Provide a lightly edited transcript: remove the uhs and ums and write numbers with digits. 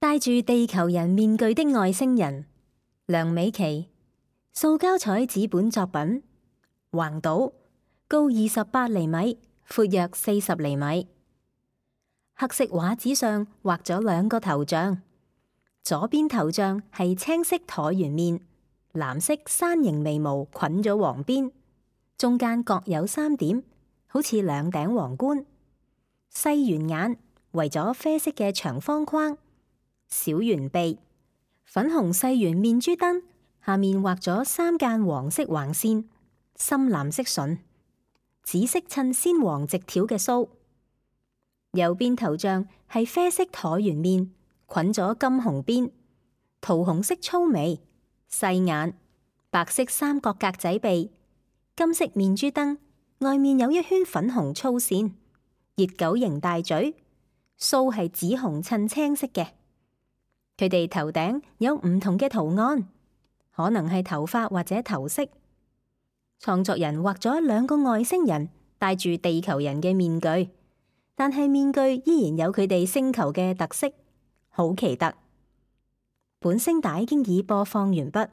戴住地球人面具的外星人，梁美琪，塑膠彩紙本作品，橫島，高28厘米，闊約40厘米。黑色畫紙上畫咗兩個頭像，左邊頭像係青色橢圓面，藍色山形眉毛捆咗黃邊，中間各有3點，好似兩頂皇冠。細圓眼圍咗啡色嘅長方框，小圓鼻，粉紅細圓面珠燈，下面畫咗3間黃色橫線，深藍色唇，紫色襯鮮黃直條嘅鬚。右邊頭像係啡色橢圓面，捆咗金紅邊，桃紅色粗眉，細眼，白色三角格仔鼻，金色面珠燈，外面有一圈粉紅粗線，熱狗型大嘴，鬚係紫紅襯青色嘅。佢哋頭頂有唔同嘅圖案，可能係頭髮或者頭飾。創作人畫咗2個外星人戴住地球人嘅面具，但係面具依然有佢哋星球嘅特色，好奇特。本聲帶經已播放完畢。